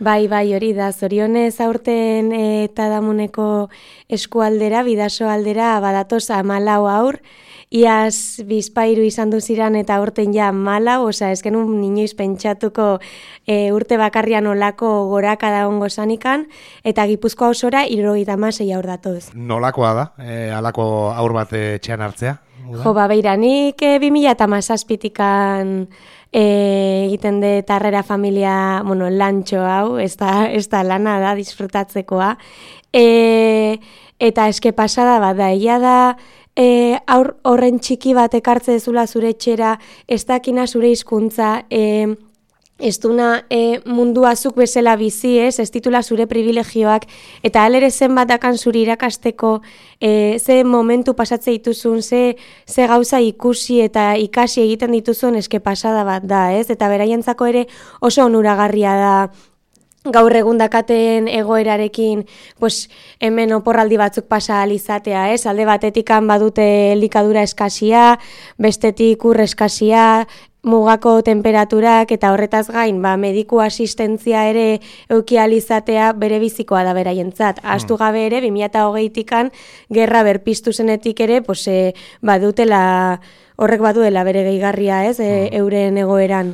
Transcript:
Bai, hori da, zorionez aurten eta damuneko eskualdera, bidaso aldera, badatoz 14 haur, iaz bizpairu izan duziran eta aurten ja 14, osea, ez genuen inoiz pentsatuko urte bakarrian olako goraka da ongo zanikan, eta Gipuzkoa osora 76 haur datoz. Nolakoa da, halako haur bat etxean hartzea? Jo, beira, nik 2017-tikan egiten de Tarrera familia, lantxo hau, ez da lana da, disfrutatzekoa. Eta eske pasada bat da, egia da, horren txiki bat ekartze dezula zure etxera, ez dakina zure hizkuntza, ez duna mundua zuk bezala bizi, ez titula zure privilegioak, eta alere zenbat dakan zuri irakasteko, ze momentu pasatze dituzun, ze gauza ikusi eta ikasi egiten dituzun eske pasada bat da, ez? Eta beraientzako ere oso onuragarria da, gaur egun dakaten egoerarekin, pues, hemen oporraldi batzuk pasa alizatea, ez? Alde batetikan badute elikadura eskasia, bestetik ur eskasia, mugako temperaturak eta horretaz gain, mediku asistentzia ere euki alizatea bere bizikoa da beraientzat. Ahaztu gabe ere, 2020-tikan gerra berpiztu zenetik ere, pues, horrek baduela bere gehigarria, ez? Euren egoeran.